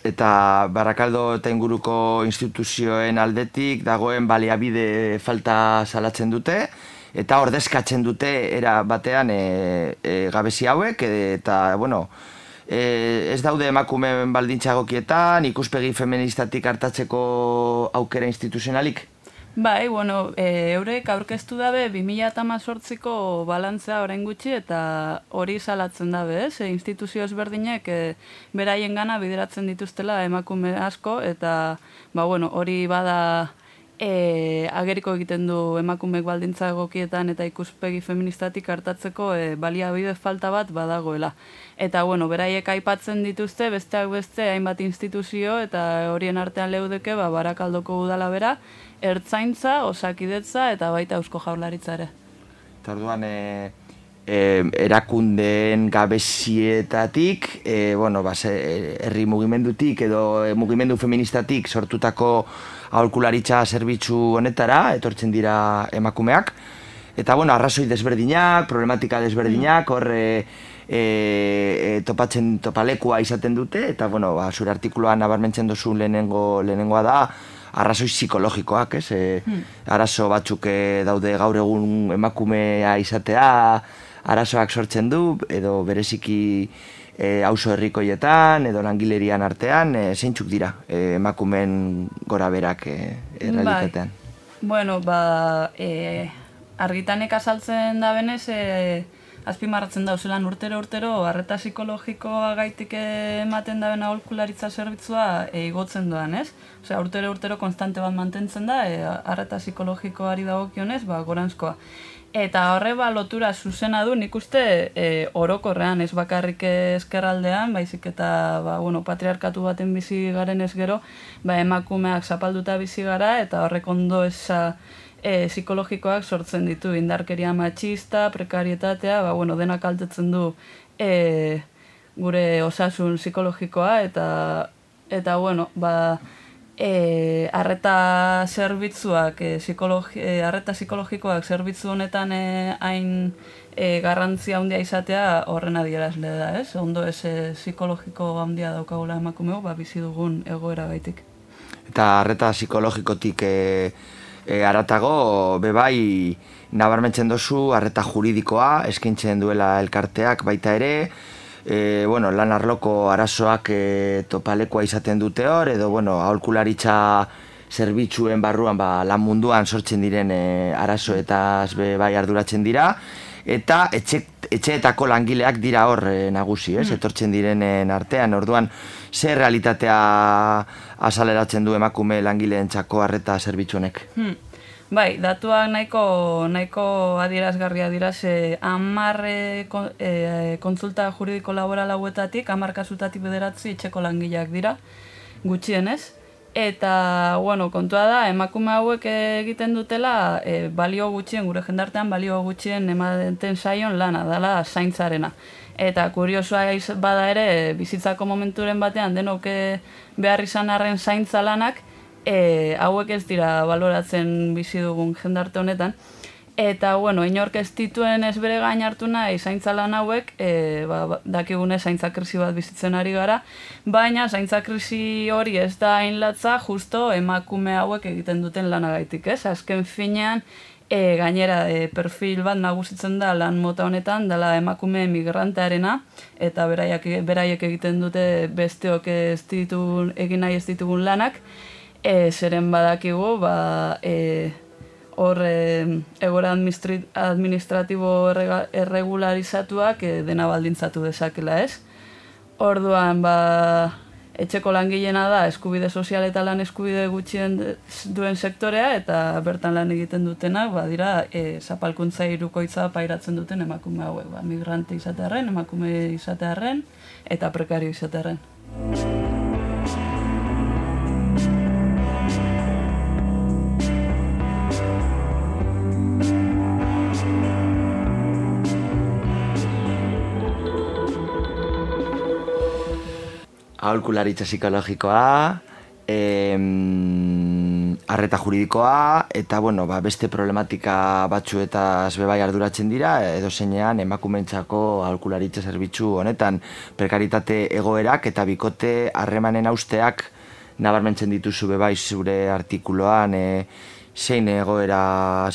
Eta Barakaldo eta inguruko instituzioen aldetik dagoen baliabide falta salatzen dute, eta ordezkatzen dute era batean gabezi hauek, eta, bueno, ez daude emakumeen baldintza egokietan, ikuspegi feministatik hartatzeko aukera instituzionalik? Bai, bueno, eurek aurkeztu dabe 2018ko balantzea orain gutxi eta hori salatzen dabe, instituzio ezberdinek beraien gana bideratzen dituztela emakume asko eta, bueno, hori bada ageriko egiten du emakumeek baldintza egokietan eta ikuspegi feministatik hartatzeko baliabide falta bat badagoela. Eta, bueno, beraiek aipatzen dituzte, besteak beste, hainbat instituzio eta horien artean leudeke, Barakaldoko udala bera, ertzaintza, osakidetza eta baita Eusko Jaurlaritza ere. Eta orduan, erakundeen gabezietatik, herri mugimendutik edo mugimendu feministatik sortutako aholkularitza zerbitzu honetara etortzen dira emakumeak. Eta, arrazoi desberdinak, problematika desberdinak, hor topalekua izaten dute, eta, zure artikuluan nabarmentzen duzu lehenengoa da, arrazoi psikologikoak, ez? Arazo batzuk daude gaur egun emakumea izatea, arazoak sortzen du, edo bereziki auzo herrikoietan, edo langilerian artean, zeintzuk dira emakumeen gora berak realitatean? Bueno, argitanek azaltzen da benez, azpimarratzen dauzelan urtero arreta psikologikoa gaitik ematen da bena aholkularitza zerbitzua igotzen doan, ez? Osea, urtero konstante bat mantentzen da, arreta psikologikoari dagokionez, goranzkoa. Eta horre lotura zuzena du, nik uste orokorrean, ez bakarrik ezkerraldean, baizik eta patriarkatu baten bizi garen ez gero, emakumeak zapalduta bizi gara, eta horrek ondo eza psikologikoak sortzen ditu, indarkeria matxista, prekarietatea, denak kaltetzen du gure osasun psikologikoa, eta arreta zerbitzuak, arreta psikologikoak zerbitzu honetan hain garrantzia handia izatea horren adierazle da, ez? Ondo ez psikologiko handia daukagula emakumeo, bizi dugun egoera gaitik. Eta arreta psikologikotik aratago, bebai, nabarmentzen dozu, arreta juridikoa, eskaintzen duela elkarteak baita ere, lan arloko arazoak topalekoa izaten dute hor, edo aholkularitza zerbitzuen barruan lan munduan sortzen diren arazoetaz bai arduratzen dira, eta etxeetako langileak dira hor nagusi, etortzen direnen artean, orduan zer realitatea azaleratzen du emakume langileentzako arreta zerbitzu honek? Bai, datuak nahiko adierazgarria dira, 10 kontsulta juridiko laboral hauetatik, 10 kasutatik 9 etxeko langileak dira, gutxienez. Eta, kontua da, emakume hauek egiten dutela balio gutxien, gure jendartean balio gutxien ematen saion lana, dela zaintzarena. Eta kuriosoa bada ere, bizitzako momenturen batean denok behar izan arren zaintza lanak, hauek ez dira baloratzen bizi dugun jendarte honetan. Eta, inork ez dituen ez bere gain hartu nahi zaintza lan hauek, dakigune zaintza krisi bat bizitzen ari gara, baina zaintza krisi hori ez da hain latza justo emakume hauek egiten duten lanagaitik, ez? Azken finean, gainera perfil bat nagusitzen da lan mota honetan, dela emakume migrantearena, eta beraiek egiten dute besteok egin nahi ez ditugun lanak, zeren badakigu, hor egoera administratibo erregularizatuak dena baldintzatu dezakela, ez? Orduan, etxeko langileena da eskubide sozial eta lan eskubide gutxien duen sektorea, eta bertan lan egiten dutenak, dira zapalkuntza hirukoitza pairatzen duten emakume hauek, migrante izatearren, emakume izatearren, eta prekario izatearren. Aholkularitza psikologikoa, arreta juridikoa, eta beste problematika batzuetaz bebai arduratzen dira, edo zeinean emakumeentzako aholkularitza zerbitzu honetan prekaritate egoerak eta bikote harremanen hausteak nabarmentzen dituzu bebai zure artikuloan, zein egoera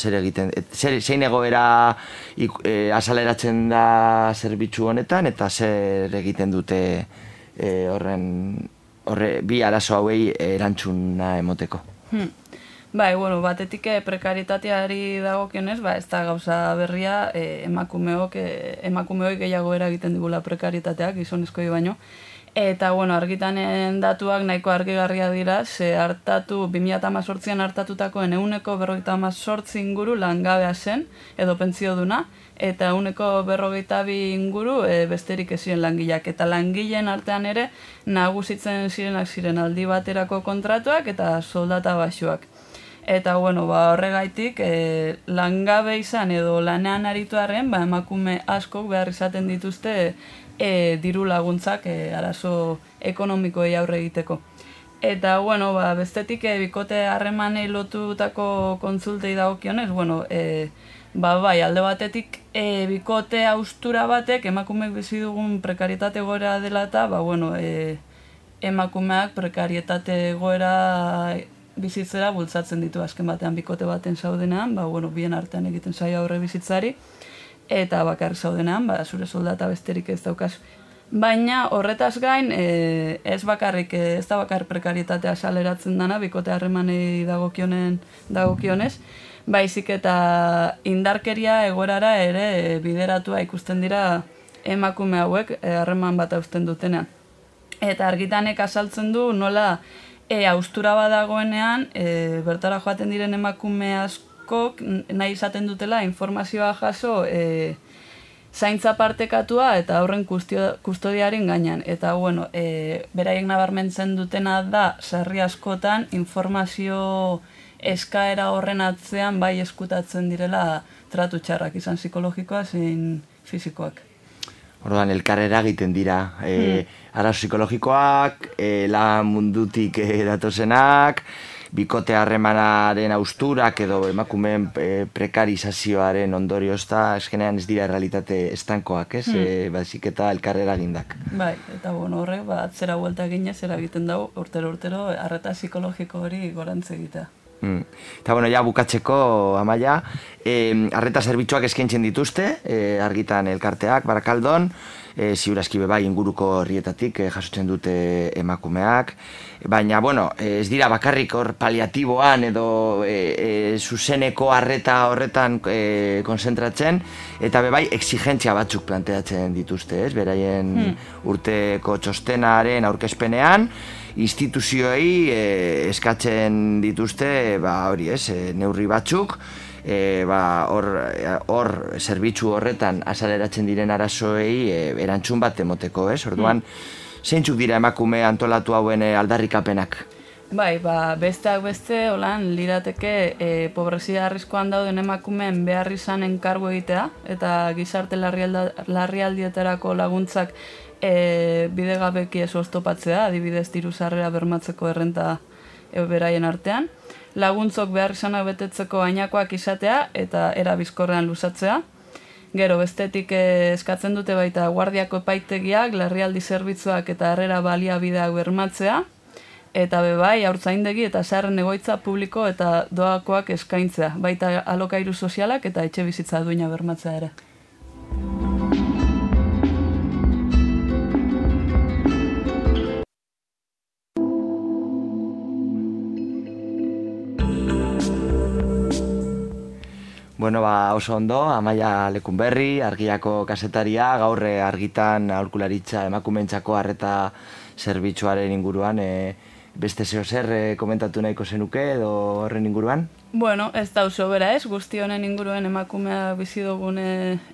azaleratzen da zerbitzu honetan, eta zer egiten dute bi arazo hauei erantzuna emoteko. Bai, batetik prekaritateari dagokionez, ez da gauza berria emakumeoi gehiago eragiten digula prekaritateak, gizonezkoi baino. Eta, bueno, argitanen datuak nahiko argigarria dira, ze 2018an hartatutakoen 58% inguru langabea zen, edo pentsioduna, eta 42% inguru besterik ez ziren langileak. Eta langileen artean ere nagusitzen ziren aldi baterako kontratuak eta soldata baxuak. Eta, bueno, horregaitik langabe izan edo lanean arituarren, emakume askok behar izaten dituzte diru laguntzak arazo ekonomikoei aurre egiteko. Eta, bueno, bestetik bikote harremanei lotutako kontsultei dagokionez, bueno, alde batetik bikote haustura batek emakumeek bizi dugun prekarietate egoera dela eta, emakumeak prekarietate egoera bizitzera bultzatzen ditu azken batean bikote baten zaudenean, bien artean egiten zaio aurre bizitzari, eta bakarrik zaudenean, zure soldata besterik ez daukaz. Baina horretaz gain, ez da bakar prekarietatea saleratzen dana, bikote harremanei dagokionez, baizik eta indarkeria egoerara ere bideratua ikusten dira emakume hauek harreman bat hausten dutenean. Eta argitanek azaltzen du nola haustura badagoenean, bertara joaten diren emakume askok nahi izaten dutela informazioa jaso zaintza partekatua eta horren kustodiaren gainean. Eta, bueno, beraiek nabarmentzen dutena da, sarri askotan, informazio eskaera horren atzean bai eskutatzen direla tratu txarrak, izan psikologikoa zein fisikoak. Orduan, elkarrera egiten dira, arazo psikologikoak, lan mundutik datozenak, bikote harremanaren austurak edo emakumeen prekarizazioaren ondorioz da, eskenean ez dira realitate estankoak, ez? Baizik eta elkarrera egindak. Bai, eta horrek, atzera buelta eginez eragiten dago, urtero, arreta psikologiko hori gorantz egitea. Eta, bueno, ja bukatzeko, Amaia, arreta zerbitzuak eskaintzen dituzte, argitan elkarteak, Barakaldon, ziurazki bai inguruko herrietatik jasotzen dute emakumeak, baina, bueno, ez dira bakarrik hor paliatiboan edo zuzeneko arreta horretan konzentratzen, eta bai exigentzia batzuk planteatzen dituzte, ez? Beraien urteko txostenaren aurkezpenean, instituzioei eskatzen dituzte, hori ez, neurri batzuk, hor zerbitzu horretan azaleratzen diren arazoei erantzun bat emoteko, ez? Orduan, zeintzuk dira emakume antolatu hauen aldarrikapenak? Bai, besteak beste, holan, lirateke pobrezia arriskuan dauden emakumeen behar izan enkargu egitea, eta gizarte larrialdietarako laguntzak bidegabeki ez oztopatzea, adibidez diru sarrera bermatzeko errenta beraien artean, laguntzok behar izanak betetzeko ainakoak izatea eta era bizkorrean luzatzea. Gero, bestetik eskatzen dute baita guardiako epaitegiak, larrialdi zerbitzuak eta harrera baliabideak bermatzea, eta bai, haurtzaindegi eta zaharren egoitza publiko eta doakoak eskaintzea, baita alokairu sozialak eta etxe bizitza duina bermatzea ere. Bueno, oso ondo, Amaia Lekunberri, Argiako kasetaria, gaur argitan aholkularitza emakumeentzako arreta zerbitzuaren inguruan, beste zeo zer komentatu nahiko zenuke edo horren inguruan? Bueno, ez da oso bera ez, guzti honen inguruen emakumea bizi dugun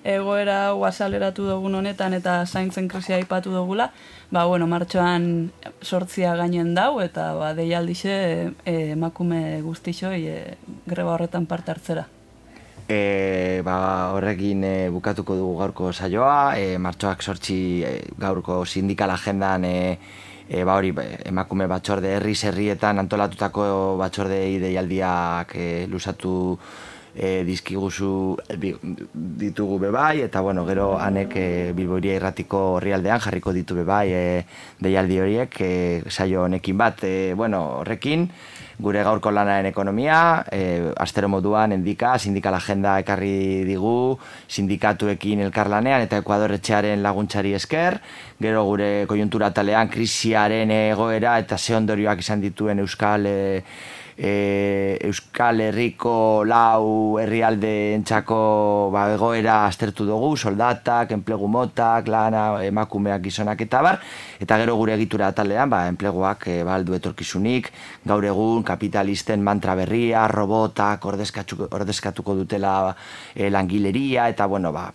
egoera azaleratu dugun honetan eta zaintzen krisia aipatu dugula, martxoan 8 gainen dau eta deialdixe emakume guztixoi greba horretan parte hartzera. Horrekin bukatuko dugu gaurko saioa, martxoak 8 gaurko sindikal agendan emakume batzorde herrietan antolatutako batzordei deialdiak luzatu dizkiguzu ditugu bebai, eta gero hanek Bilbo Hiria Irratiko orrialdean jarriko ditu bebai deialdi horiek saio honekin bat, horrekin gure gaurko lanaren ekonomia, astero moduan endika, sindikal agenda ekarri digu, sindikatuekin elkarlanean eta Ekuador etxearen laguntzari esker, gero gure koiuntura talean krisiaren egoera eta ze ondorioak izan dituen euskal Euskal Herriko 4 herrialdeentzako egoera aztertu dugu, soldatak, enplegu motak, lana, emakumeak, gizonak eta bar, eta gero gure egitura atalean, enpleguak aldu etorkizunik, gaur egun kapitalisten mantra berria, robotak ordezkatuko dutela langileria, eta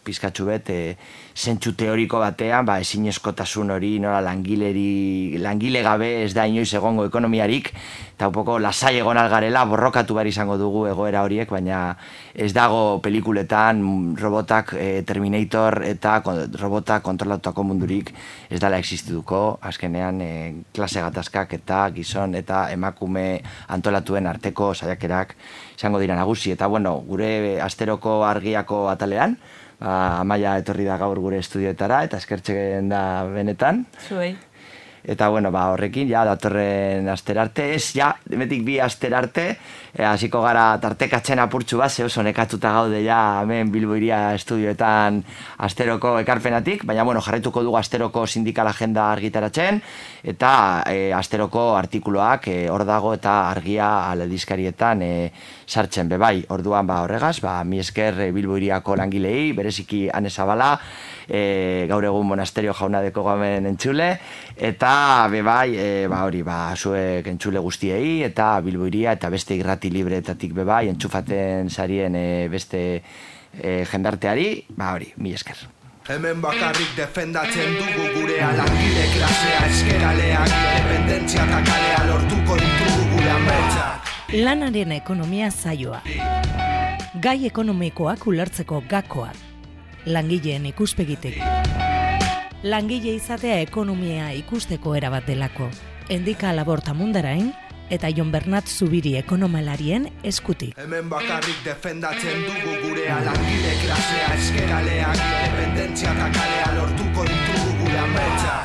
pizkatxu bet, zentsu teoriko batean, ezinezkotasun hori, nola langile gabe ez da inoiz egongo ekonomiarik, eta un poco lasai egon algarela, borrokatu behar izango dugu egoera horiek, baina ez dago pelikuletan robotak, Terminator eta robotak kontrolatutako mundurik ez dela existituko, azkenean klase gatazkak eta gizon eta emakume antolatuen arteko saiakerak izango dira nagusi, eta gure asteroko argiako atalean, Amaia etorri da gaur gure estudioetara eta eskertzen da benetan. Zuei. Eta horrekin, datorren asterarte, demetik 2 asterarte, hasiko gara tartekatzen apurtxu bat, oso nekatuta gaude hemen Bilbo Hiria estudioetan asteroko ekarpenatik, baina jarraituko dugu asteroko sindikal agenda argitaratzen, eta asteroko artikuloak hor dago eta argia aldizkarietan sartzen bebai. Orduan horregaz, mi esker Bilbo Hiriako langilei, bereziki Ane Zabala, gaur egun monasterio jaunadeko gamen entzule, eta bebai, zuek entzule guztiei, eta Bilbo Hiria, eta beste irrati libreetatik bebai, entzufaten sarien beste jendarteari, mi esker. Hemen bakarrik defendatzen dugu gurea, langile klasea, eskeraleak, independentzia eta kalea lortuko ditugu gure ametsak. Lanaren ekonomia saioa. Gai ekonomikoak ulertzeko gakoak. Langileen ikuspegitik. Langile izatea ekonomia ikusteko erabat delako. Endika Laborta Mundarain eta Jon Bernat Zubiri ekonomalarien eskutik. Hemen bakarrik defendatzen dugu gurea, langile klasea, eskeraleak, independentzia eta kalea lortuko ditugu gure ametsak.